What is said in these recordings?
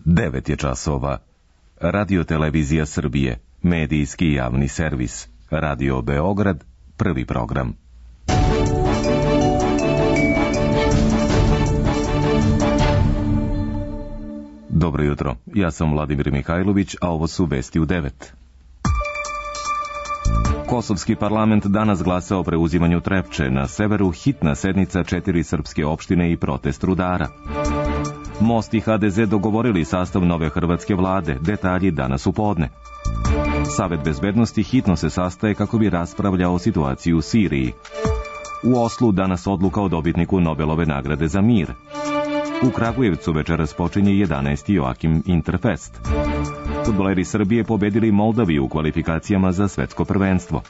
9 je časova. Radio Televizija Srbije, medijski javni servis. Radio Beograd, prvi program. Dobro jutro, ja sam Vladimir Mihajlović, a ovo su vesti u 9. Kosovski parlament danas glasa o preuzimanju Trepče, na severu hitna sednica 4 srpske opštine i protest rudara. Most i HDZ dogovorili sastav nove hrvatske vlade, detalji danas u podne. Savet bezbednosti hitno se sastaje kako bi raspravljao o situaciji u Siriji. U Oslu danas odluka o dobitniku Nobelove nagrade za mir. U Kragujevcu večeras počinje 11. Joakim Interfest. Fudbaleri Srbije pobedili Moldaviju u kvalifikacijama za svetsko prvenstvo.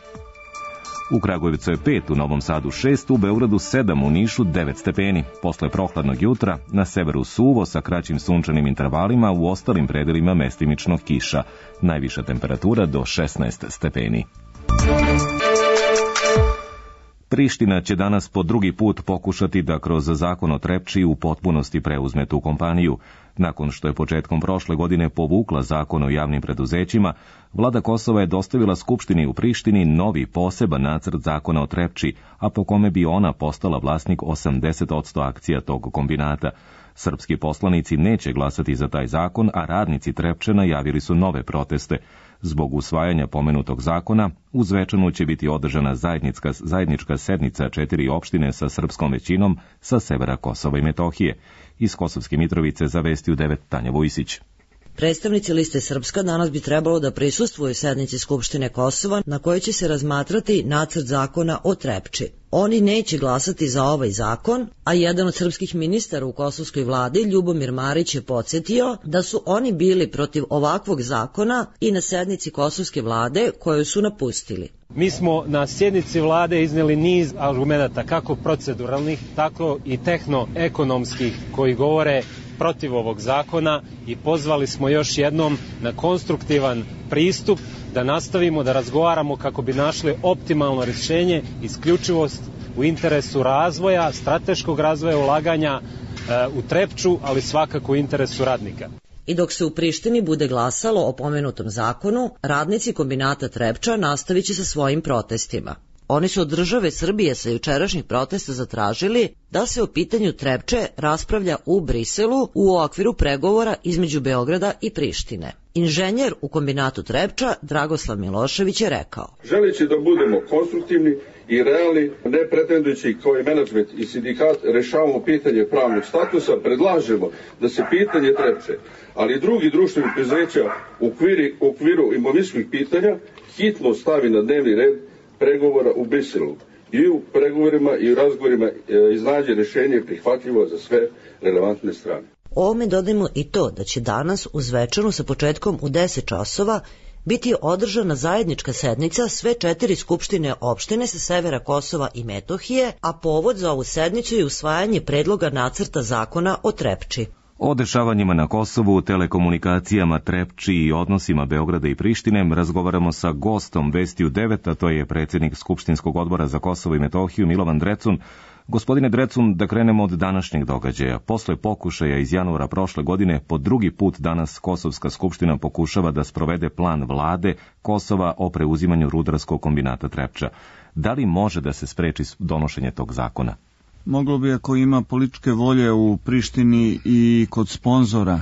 U Kragujevcu je 5, u Novom Sadu 6, u Beogradu 7, u Nišu 9 stepeni. Posle prohladnog jutra, na severu suvo sa kraćim sunčanim intervalima, u ostalim predelima mestimično kiša. Najviša temperatura do 16 stepeni. Priština će danas po drugi put pokušati da kroz zakon o Trepči u potpunosti preuzme tu kompaniju. Nakon što je početkom prošle godine povukla zakon o javnim preduzećima, vlada Kosova je dostavila Skupštini u Prištini novi poseban nacrt zakona o Trepči, a po kome bi ona postala vlasnik 80% akcija tog kombinata. Srpski poslanici neće glasati za taj zakon, a radnici Trepče najavili su nove proteste. Zbog usvajanja pomenutog zakona, u Zvečanu će biti održana zajednička sednica 4 opštine sa srpskom većinom sa severa Kosova i Metohije. Iz Kosovske Mitrovice za vesti u 9 Tanja Vujsić. Predstavnici liste Srpska danas bi trebalo da prisustvuju sednici Skupštine Kosova na kojoj će se razmatrati nacrt zakona o Trepči. Oni neće glasati za ovaj zakon, a jedan od srpskih ministara u kosovskoj vladi, Ljubomir Marić, je podsjetio da su oni bili protiv ovakvog zakona i na sednici kosovske vlade koju su napustili. Mi smo na sjednici vlade izneli niz argumenata, kako proceduralnih, tako i tehno-ekonomskih, koji govore protiv ovog zakona i pozvali smo još jednom na konstruktivan pristup da nastavimo da razgovaramo kako bi našli optimalno rješenje, isključivost u interesu razvoja, strateškog razvoja ulaganja u Trepču, ali svakako u interesu radnika. I dok se u Prištini bude glasalo o pomenutom zakonu, radnici kombinata Trepča nastavit će sa svojim protestima. Oni su od države Srbije sa jučerašnjih protesta zatražili da se o pitanju Trepče raspravlja u Briselu u okviru pregovora između Beograda i Prištine. Inženjer u kombinatu Trepča Dragoslav Milošević je rekao: želeći da budemo konstruktivni i realni, ne pretendujući kao i menadžment i sindikat rešavamo pitanje pravnog statusa, predlažemo da se pitanje Trepče, ali i drugi društvenih preduzeća u okviru imovinskih pitanja hitno stavi na dnevni red pregovora u Briselu i u pregovorima i u razgovorima iznađe rješenje prihvatljivo za sve relevantne strane. Ovome dodajmo i to da će danas u Zvečanu sa početkom u 10 časova biti održana zajednička sednica sve 4 skupštine opštine sa severa Kosova i Metohije, a povod za ovu sednicu je usvajanje predloga nacrta zakona o Trepči. O dešavanjima na Kosovu, telekomunikacijama, Trepči i odnosima Beograda i Prištine razgovaramo sa gostom vesti u 9, a to je predsjednik Skupštinskog odbora za Kosovo i Metohiju Milovan Drecun. Gospodine Drecun, da krenemo od današnjeg događaja. Posle pokušaja iz januara prošle godine, po drugi put danas Kosovska skupština pokušava da sprovede plan vlade Kosova o preuzimanju rudarskog kombinata Trepča. Da li može da se spreči donošenje tog zakona? Moglo bi, ako ima političke volje u Prištini i kod sponzora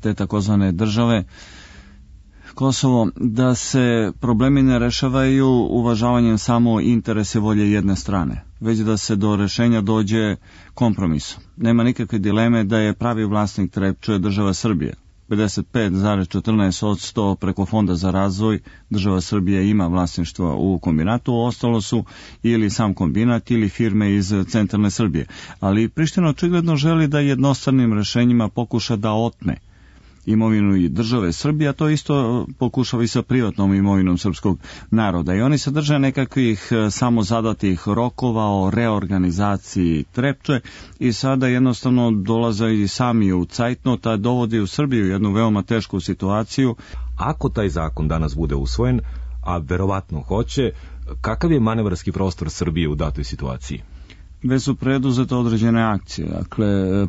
te takozvane države Kosovo, da se problemi ne rešavaju uvažavanjem samo interese volje jedne strane, već da se do rešenja dođe kompromisom. Nema nikakve dileme da je pravi vlasnik Trepče država Srbije. 55,14% preko Fonda za razvoj država Srbija ima vlasništvo u kombinatu, ostalo su ili sam kombinat ili firme iz centralne Srbije. Ali Priština očigledno želi da jednostavnim rešenjima pokuša da otme imovinu i države Srbije, a to isto pokušava i sa privatnom imovinom srpskog naroda. I oni se drže nekakvih samozadatih rokova o reorganizaciji Trepče i sada jednostavno dolaze i sami u cajtnot, a dovodi u Srbiju jednu veoma tešku situaciju. Ako taj zakon danas bude usvojen, a verovatno hoće, kakav je manevarski prostor Srbije u datoj situaciji? Već su preduzete određene akcije. Dakle,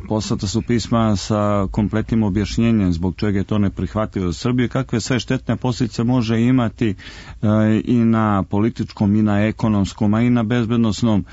poslata su pisma sa kompletnim objašnjenjem zbog čega je to neprihvatljivo za Srbiju, kakve sve štetne posljedice može imati i na političkom, i na ekonomskom, a i na bezbednosnom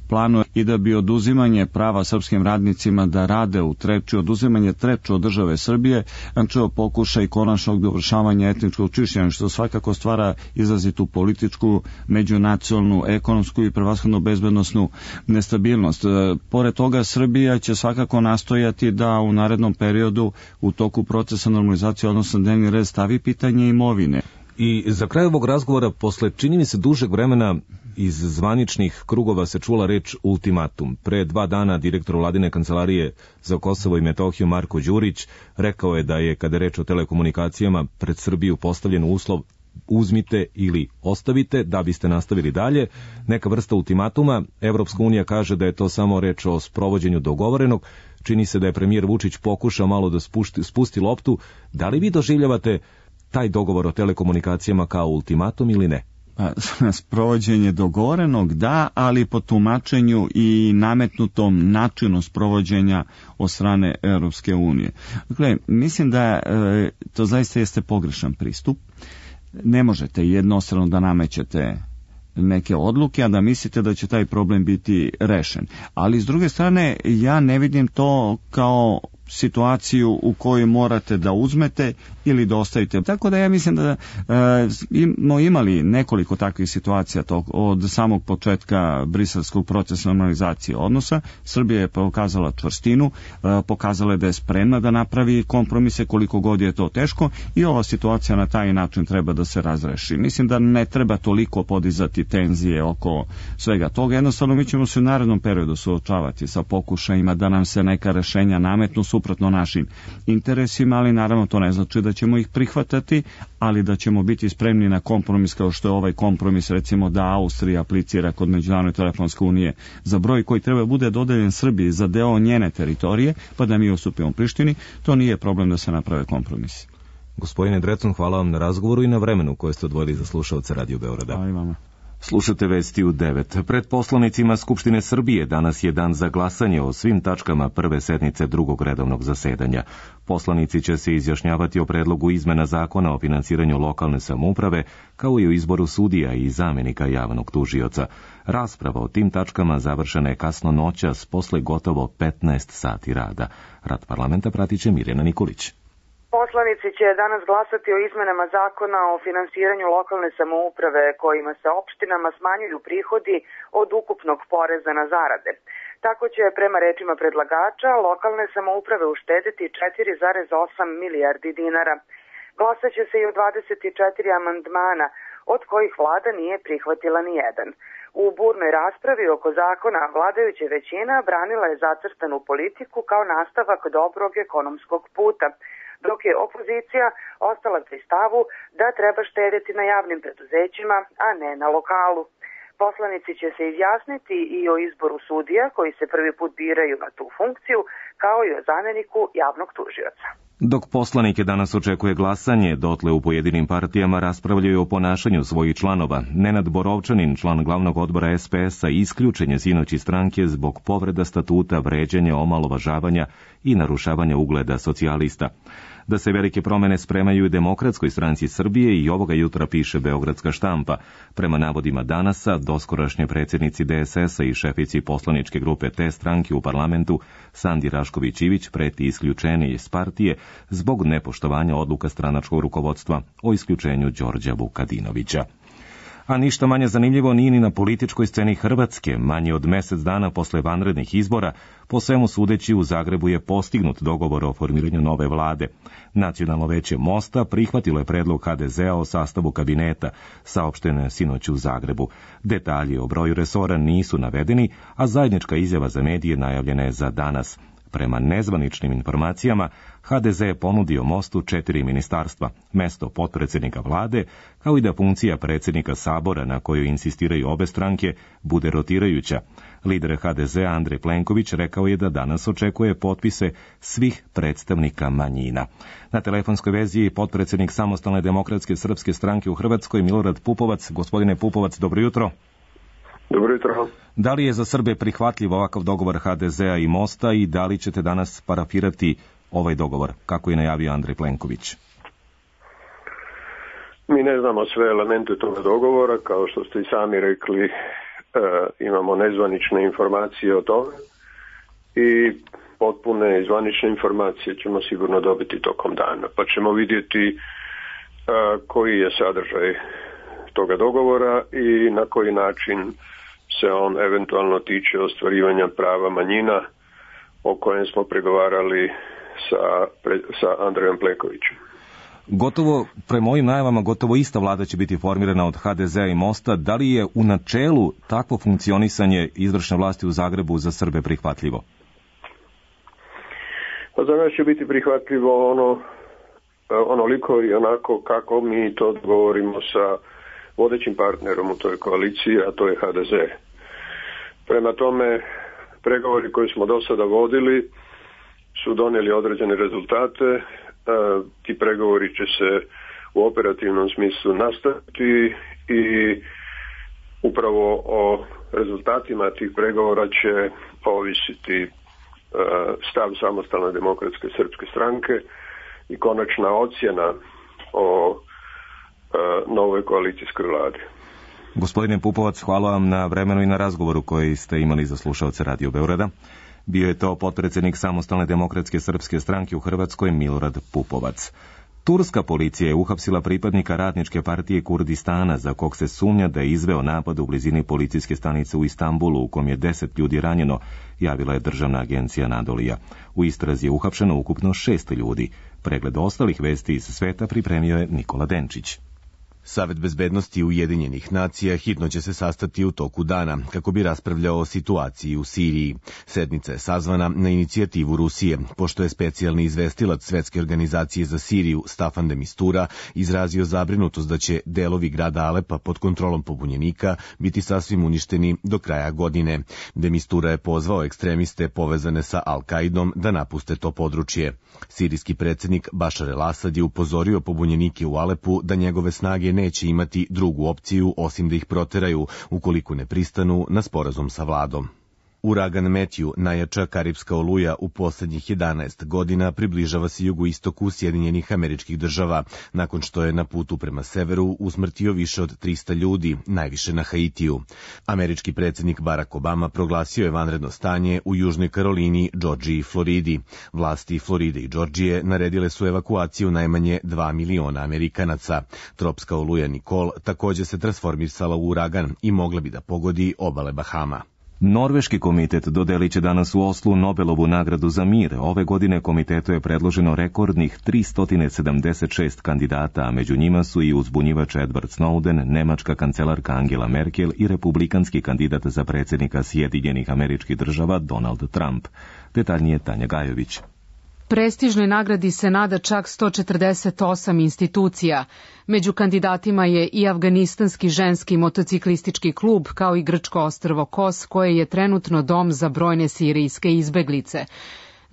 planu, i da bi oduzimanje prava srpskim radnicima da rade u Trepči, oduzimanje Trepče od države Srbije, načeo pokušaj konačnog dovršavanja etničkog čišćenja, što svakako stvara izrazitu političku, međunacionalnu, ekonomsku i prevashodno bezbednosnu nestabilnost. Pored toga, Srbija će svakako nastojati da u narednom periodu u toku procesa normalizacije, odnosno dnevni red, stavi pitanje imovine. I za kraj ovog razgovora, posle čini mi se dužeg vremena, iz zvaničnih krugova se čula reč ultimatum. Pre 2 dana direktor Vladine kancelarije za Kosovo i Metohiju Marko Đurić rekao je da je, kada je reč o telekomunikacijama, pred Srbiju postavljen uslov uzmite ili ostavite da biste nastavili dalje, neka vrsta ultimatuma. Evropska unija kaže da je to samo reč o sprovođenju dogovorenog. Čini se da je premijer Vučić pokušao malo da spusti loptu. Da li vi doživljavate taj dogovor o telekomunikacijama kao ultimatum ili ne? Sprovođenje dogovorenog, da, ali po tumačenju i nametnutom načinu sprovođenja od strane Europske unije. Dakle, mislim da to zaista jeste pogrešan pristup. Ne možete jednostrano da namećete neke odluke, a da mislite da će taj problem biti rešen. Ali s druge strane, ja ne vidim to kao situaciju u kojoj morate da uzmete ili da ostavite. Tako da ja mislim da smo imali nekoliko takvih situacija od samog početka briselskog procesa normalizacije odnosa. Srbija je pokazala čvrstinu, pokazala je da je spremna da napravi kompromise koliko god je to teško, i ova situacija na taj način treba da se razreši. Mislim da ne treba toliko podizati tenzije oko svega toga. Jednostavno mi ćemo se u narednom periodu suočavati sa pokušajima da nam se neka rešenja nametnu suprotno našim interesima, ali naravno to ne znači da ćemo ih prihvatati, ali da ćemo biti spremni na kompromis, kao što je ovaj kompromis, recimo da Austrija aplicira kod Međunarodne telefonske unije za broj koji treba bude dodeljen Srbiji za deo njene teritorije, pa da mi ustupimo Prištini. To nije problem da se naprave kompromisi. Gospodine Drecun, hvala vam na razgovoru i na vremenu koje ste odvojili za slušaoce Radio Beograda. Hvala i vama. Slušate Vesti u 9. Pred poslanicima Skupštine Srbije danas je dan za glasanje o svim tačkama prve sednice drugog redovnog zasedanja. Poslanici će se izjašnjavati o predlogu izmena zakona o finansiranju lokalne samouprave, kao i o izboru sudija i zamenika javnog tužioca. Rasprava o tim tačkama završena je kasno noćas posle gotovo 15 sati rada. Rad parlamenta pratit će Mirjana Nikolić. Poslanici će danas glasati o izmenama zakona o finansiranju lokalne samouprave kojima se opštinama smanjuju prihodi od ukupnog poreza na zarade. Tako će, prema rečima predlagača, lokalne samouprave uštediti 4,8 milijardi dinara. Glasaće se i o 24 amandmana, od kojih vlada nije prihvatila ni jedan. U burnoj raspravi oko zakona vladajuća većina branila je zacrtanu politiku kao nastavak dobrog ekonomskog puta, dok je opozicija ostala pri stavu da treba štedjeti na javnim preduzećima, a ne na lokalu. Poslanici će se izjasniti i o izboru sudija koji se prvi put biraju na tu funkciju, kao i o zameniku javnog tužioca. Dok poslanike danas očekuje glasanje, dotle u pojedinim partijama raspravljaju o ponašanju svojih članova. Nenad Borovčanin, član glavnog odbora SPS-a, isključen je sinoć iz stranke zbog povreda statuta, vređanja, omalovažavanja i narušavanja ugleda socijalista. Da se velike promene spremaju i Demokratskoj stranci Srbije i ovoga jutra piše Beogradska štampa. Prema navodima Danasa, doskorašnje predsjednici DSS-a i šefici poslaničke grupe te stranke u parlamentu, Sandi Rašković-Ivić, preti isključenje iz partije zbog nepoštovanja odluka stranačkog rukovodstva o isključenju Đorđa Vukadinovića. A ništa manje zanimljivo nije ni na političkoj sceni Hrvatske. Manje od mjesec dana posle vanrednih izbora, po svemu sudeći, u Zagrebu je postignut dogovor o formiranju nove vlade. Nacionalno veće Mosta prihvatilo je predlog HDZ-a o sastavu kabineta, saopšteno je sinoć u Zagrebu. Detalji o broju resora nisu navedeni, a zajednička izjava za medije najavljena je za danas. Prema nezvaničnim informacijama, HDZ je ponudio Mostu 4 ministarstva, mesto potpredsjednika vlade, kao i da funkcija predsjednika Sabora, na kojoj insistiraju obe stranke, bude rotirajuća. Lider HDZ Andrej Plenković rekao je da danas očekuje potpise svih predstavnika manjina. Na telefonskoj vezi je potpredsjednik Samostalne demokratske srpske stranke u Hrvatskoj Milorad Pupovac. Gospodine Pupovac, dobro jutro. Dobro jutro. Da li je za Srbe prihvatljiv ovakav dogovor HDZ-a i Mosta i da li ćete danas parafirati ovaj dogovor, kako je najavio Andrej Plenković? Mi ne znamo sve elemente toga dogovora, kao što ste i sami rekli, imamo nezvanične informacije o tome i potpune i zvanične informacije ćemo sigurno dobiti tokom dana, pa ćemo vidjeti koji je sadržaj toga dogovora i na koji način se on eventualno tiče ostvarivanja prava manjina o kojem smo pregovarali sa Andrejom Plenkovićem. Gotovo, prema ovim najavama, gotovo ista vlada će biti formirana od HDZ-a i Mosta. Da li je u načelu takvo funkcionisanje izvršne vlasti u Zagrebu za Srbe prihvatljivo? Pa za nas će biti prihvatljivo onoliko i onako kako mi to dogovorimo sa vodećim partnerom u toj koaliciji, a to je HDZ. Prema tome, pregovori koje smo do sada vodili su donijeli određene rezultate. Ti pregovori će se u operativnom smislu nastaviti i upravo o rezultatima tih pregovora će ovisiti stav Samostalne demokratske srpske stranke i konačna ocjena o novoj koalicijskoj vladi. Gospodine Pupovac, hvala vam na vremenu i na razgovoru koji ste imali za slušaoce Radio Beograda. Bio je to potpredsjednik Samostalne demokratske srpske stranke u Hrvatskoj Milorad Pupovac. Turska policija je uhapsila pripadnika Radničke partije Kurdistana za kog se sumnja da je izveo napad u blizini policijske stanice u Istanbulu u kom je 10 ljudi ranjeno, javila je državna agencija Nadolija. U istrazi je uhapšeno ukupno 6 ljudi. Pregled ostalih vesti iz sveta pripremio je Nikola Denčić. Savet bezbednosti Ujedinjenih nacija hitno će se sastati u toku dana kako bi raspravljao o situaciji u Siriji. Sednica je sazvana na inicijativu Rusije, pošto je specijalni izvestilac Svetske organizacije za Siriju Staffan de Mistura izrazio zabrinutost da će delovi grada Alepa pod kontrolom pobunjenika biti sasvim uništeni do kraja godine. De Mistura je pozvao ekstremiste povezane sa Al-Kaidom da napuste to područje. Sirijski predsjednik Bašar el-Asad je upozorio pobunjenike u Alepu da njegove snage neće imati drugu opciju osim da ih proteraju ukoliko ne pristanu na sporazum sa vladom. Uragan Matthew, najjača karipska oluja u posljednjih 11 godina, približava se jugoistoku Sjedinjenih Američkih Država, nakon što je na putu prema severu usmrtio više od 300 ljudi, najviše na Haitiju. Američki predsjednik Barack Obama proglasio je vanredno stanje u Južnoj Karolini, Džordžiji i Floridi. Vlasti Floride i Džordžije naredile su evakuaciju najmanje 2 miliona Amerikanaca. Tropska oluja Nicole također se transformisala u uragan i mogla bi da pogodi obale Bahama. Norveški komitet dodelit će danas u Oslu Nobelovu nagradu za mir. Ove godine komitetu je predloženo rekordnih 376 kandidata, a među njima su i uzbunjivač Edward Snowden, nemačka kancelarka Angela Merkel i republikanski kandidat za predsjednika Sjedinjenih Američkih Država Donald Trump. Detaljnije Tanja Gajović. Prestižnoj nagradi se nada čak 148 institucija. Među kandidatima je i afganistanski ženski motociklistički klub, kao i grčko ostrvo Kos, koje je trenutno dom za brojne sirijske izbeglice.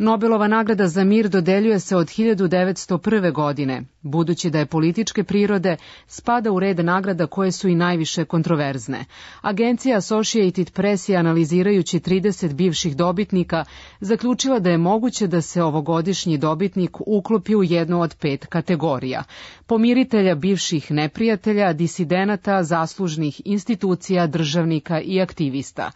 Nobelova nagrada za mir dodeljuje se od 1901. godine. Budući da je političke prirode, spada u red nagrada koje su i najviše kontroverzne. Agencija Associated Press je, analizirajući 30 bivših dobitnika, zaključila da je moguće da se ovogodišnji dobitnik uklopi u jednu od 5 kategorija: pomiritelja bivših neprijatelja, disidenata, zaslužnih institucija, državnika i aktivista.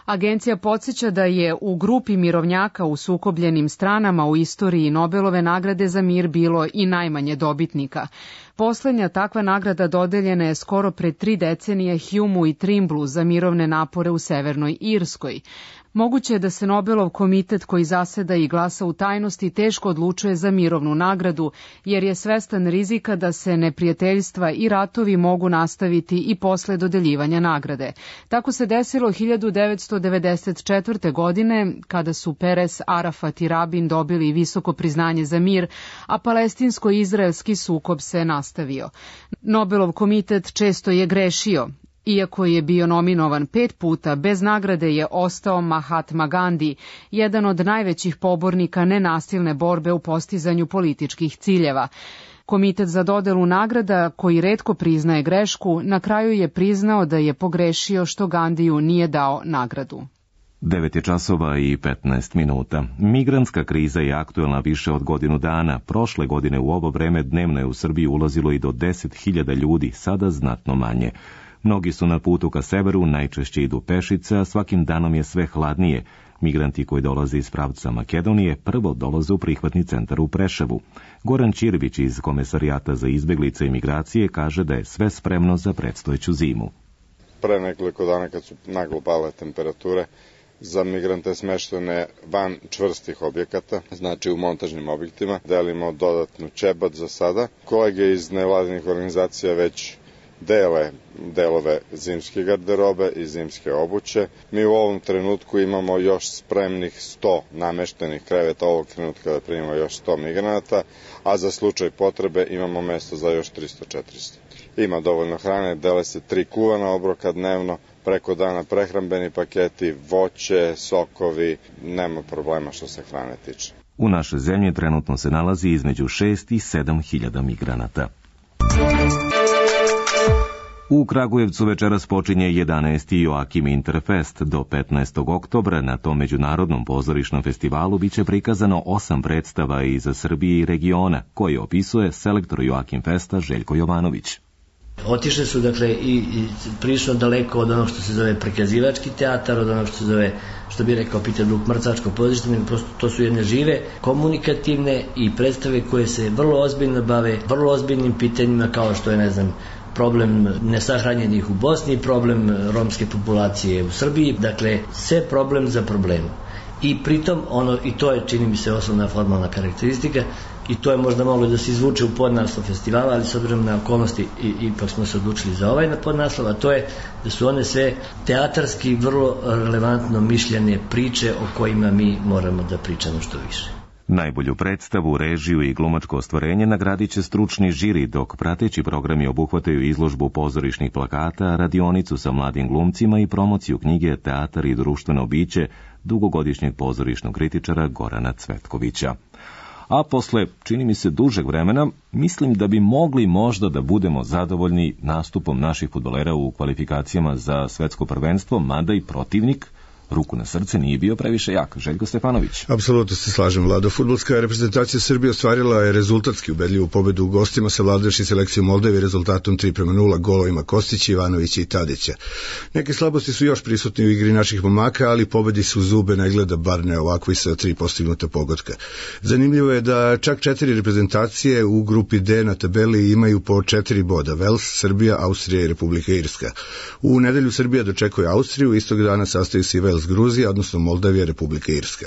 Agencija podsjeća da je u grupi mirovnjaka u sukobljenim stranama u istoriji Nobelove nagrade za mir bilo i najmanje dobitnika. Poslednja takva nagrada dodeljena je skoro pred 3 decenije Humeu i Trimblu za mirovne napore u Severnoj Irskoj. Moguće je da se Nobelov komitet koji zaseda i glasa u tajnosti teško odlučuje za mirovnu nagradu, jer je svestan rizika da se neprijateljstva i ratovi mogu nastaviti i posle dodeljivanja nagrade. Tako se desilo 1994. godine, kada su Peres, Arafat i Rabin dobili visoko priznanje za mir, a palestinsko-izraelski sukob se nastavio. Nobelov komitet često je grešio. Iako je bio nominovan 5 puta, bez nagrade je ostao Mahatma Gandhi, jedan od najvećih pobornika nenasilne borbe u postizanju političkih ciljeva. Komitet za dodelu nagrada, koji retko priznaje grešku, na kraju je priznao da je pogrešio što Gandiju nije dao nagradu. 9 časova i 15 minuta. Migrantska kriza je aktuelna više od godinu dana. Prošle godine u ovo vreme dnevno je u Srbiji ulazilo i do 10.000 ljudi, sada znatno manje. Mnogi su na putu ka severu, najčešće idu pešice, a svakim danom je sve hladnije. Migranti koji dolaze iz pravca Makedonije prvo dolaze u prihvatni centar u Preševu. Goran Ćirvić iz Komesarijata za izbeglice i migracije kaže da je sve spremno za predstojeću zimu. Pre nekoliko dana kad su naglo pale temperature, za migrante smeštene van čvrstih objekata, znači u montažnim objektima, delimo dodatnu ćebat za sada. Kolege iz nevladinih organizacija već delove zimske garderobe i zimske obuće. Mi u ovom trenutku imamo još spremnih 100 nameštenih kreveta ovog trenutka da primimo još 100 migranata, a za slučaj potrebe imamo mesto za još 300-400. Ima dovoljno hrane, dele se 3 kuvana obroka dnevno, preko dana prehrambeni paketi, voće, sokovi, nema problema što se hrane tiče. U našoj zemlji trenutno se nalazi između 6 i 7.000 migranata. U Kragujevcu večeras počinje 11. Joakim Interfest. Do 15. oktobra na tom međunarodnom pozorišnom festivalu biće prikazano 8 predstava iz Srbije i regiona, koje opisuje selektor Joakim Festa Željko Jovanović. Otišli su, dakle, i prilično daleko od onog što se zove prikazivački teatar, od onog što se zove, što bi rekao Peter Brook, mrtvačko pozorište, prosto to su jedne žive, komunikativne i predstave koje se vrlo ozbiljno bave, vrlo ozbiljnim pitanjima kao što je, ne znam, problem nesahranjenih u Bosni, problem romske populacije u Srbiji, dakle, sve problem za problem. I pritom, i to je, čini mi se, osnovna formalna karakteristika, i to je možda moglo da se izvuče u podnaslov festivala, ali s obzirom na okolnosti ipak smo se odlučili za ovaj podnaslov, a to je da su one sve teatarski vrlo relevantno mišljene priče o kojima mi moramo da pričamo što više. Najbolju predstavu, režiju i glumačko ostvarenje nagradit će stručni žiri, dok prateći programi obuhvataju izložbu pozorišnih plakata, radionicu sa mladim glumcima i promociju knjige Teatar i društveno biće dugogodišnjeg pozorišnog kritičara Gorana Cvetkovića. A posle, čini mi se, dužeg vremena, mislim da bi mogli možda da budemo zadovoljni nastupom naših fudbalera u kvalifikacijama za svetsko prvenstvo, mada i protivnik, ruku na srce, nije bio previše jak. Željko Stefanović. Apsolutno se slažem, Vlado. Fudbalska reprezentacija Srbije ostvarila je rezultatski ubedljivu pobedu u gostima sa savladavši selekciju Moldavije rezultatom 3:0 golovima Kostića, Ivanovića i Tadića. Neke slabosti su još prisutni u igri naših momaka, ali pobedi su zube ne gleda, bar ne ovako i sa 3 postignuta pogotka. Zanimljivo je da čak 4 reprezentacije u grupi D na tabeli imaju po 4 boda. Vels, Srbija, Austrija i Republika Irska. U nedelju Srbija dočekuje Austriju, istog dana sastaju se i Vels Gruzija, odnosno Moldavija, Republika Irska.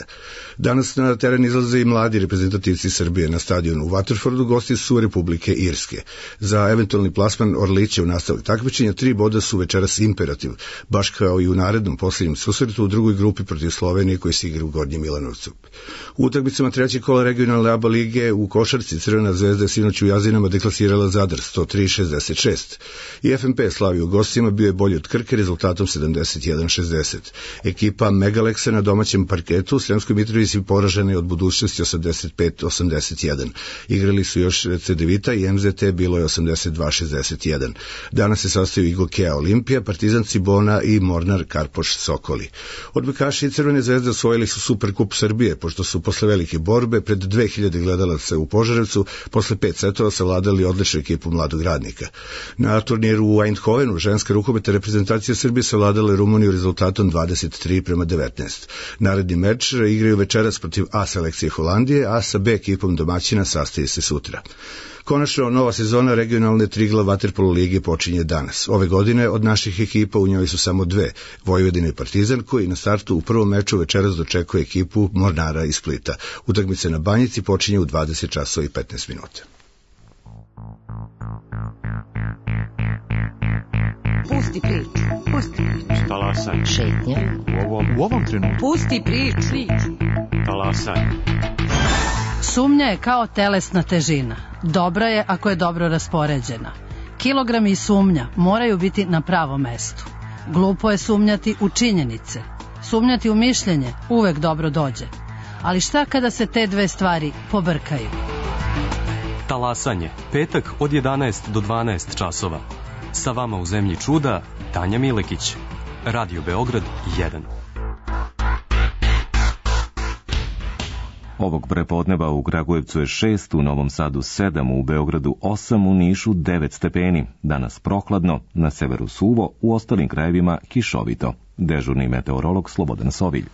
Danas na teren izlaze i mladi reprezentativci Srbije. Na stadionu u Waterfordu gosti su Republike Irske. Za eventualni plasman Orlića u nastavak takmičenja 3 boda su večeras imperativ, baš kao i u narednom posljednjem susretu u drugoj grupi protiv Slovenije koji se igra u Gornjem Milanovcu. U utakmicama trećeg kola regionalne ABA lige u košarci Crvena zvezda je sinoć u Jazinama deklasirala Zadar 103-66. I FNP slavi u gostima bio je bolji od Krke rezultatom 71-60. Ekipa Megaleksa na domaćem parketu u Sremskoj Mitrovici poražena je od Budućnosti 85-81. Igrali su još Cedevita i MZT, bilo je 82-61. Danas se sastaju Igokea Olimpija, Partizan Cibona i Mornar Karpoš Sokoli. Odbojkaši Crvene zvezde osvojili su Superkup Srbije, pošto su posle velike borbe pred 2000 gledalaca u Požarevcu posle 5 setova savladali odličnu ekipu Mladog Radnika. Na turniru u Eindhovenu ženska rukometna reprezentacija Srbije savladala Rumuniju rezultatom 23:19. Naredni meč igraju večeras protiv A selekcije Holandije, a sa B ekipom domaćina sastaje se sutra. Konačno, nova sezona regionalne Triglav vaterpolo lige počinje danas. Ove godine od naših ekipa u njoj su samo 2, Vojvodina i Partizan, koji na startu u prvom meču večeras dočekuje ekipu Mornara iz Splita. Utakmica na Banjici počinje u 20:15. Pusti priču. Talasaj. Šetnja. U ovom trenutku. Pusti priču. Talasaj. Sumnja je kao telesna težina. Dobra je ako je dobro raspoređena. Kilogrami i sumnja moraju biti na pravom mestu. Glupo je sumnjati u činjenice. Sumnjati u mišljenje uvek dobro dođe. Ali šta kada se te dve stvari pobrkaju? Talasanje, petak od 11 do 12 časova. Sa vama u zemlji čuda, Tanja Milekić. Radio Beograd 1. Ovog prepodneva u Kragujevcu je 6, u Novom Sadu 7, u Beogradu 8, u Nišu 9 stepeni. Danas prohladno, na severu suvo, u ostalim krajevima kišovito. Dežurni meteorolog Slobodan Sovilj.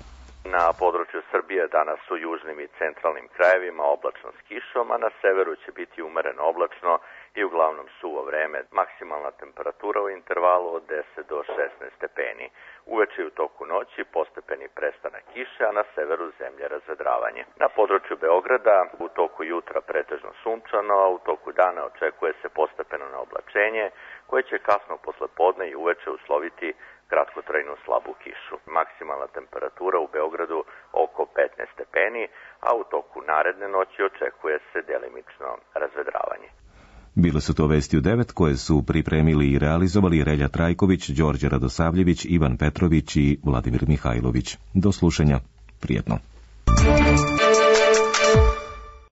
Na području Srbije danas u južnim i centralnim krajevima oblačno s kišom, a na severu će biti umereno oblačno i uglavnom suvo vreme. Maksimalna temperatura u intervalu od 10 do 16 stepeni. Uveče i u toku noći postepeni prestanak kiše, a na severu zemlje razvedravanje. Na području Beograda u toku jutra pretežno sunčano, a u toku dana očekuje se postepeno naoblačenje, koje će kasno posle podne i uveče usloviti kratkotrajnu slabu kišu. Maksimalna temperatura u Beogradu oko 15 stepeni, a u toku naredne noći očekuje se delimično razvedravanje. Bile su to vesti u 9 koje su pripremili i realizovali Relja Trajković, Đorđe Radosavljević, Ivan Petrović i Vladimir Mihajlović. Do slušanja. Prijetno.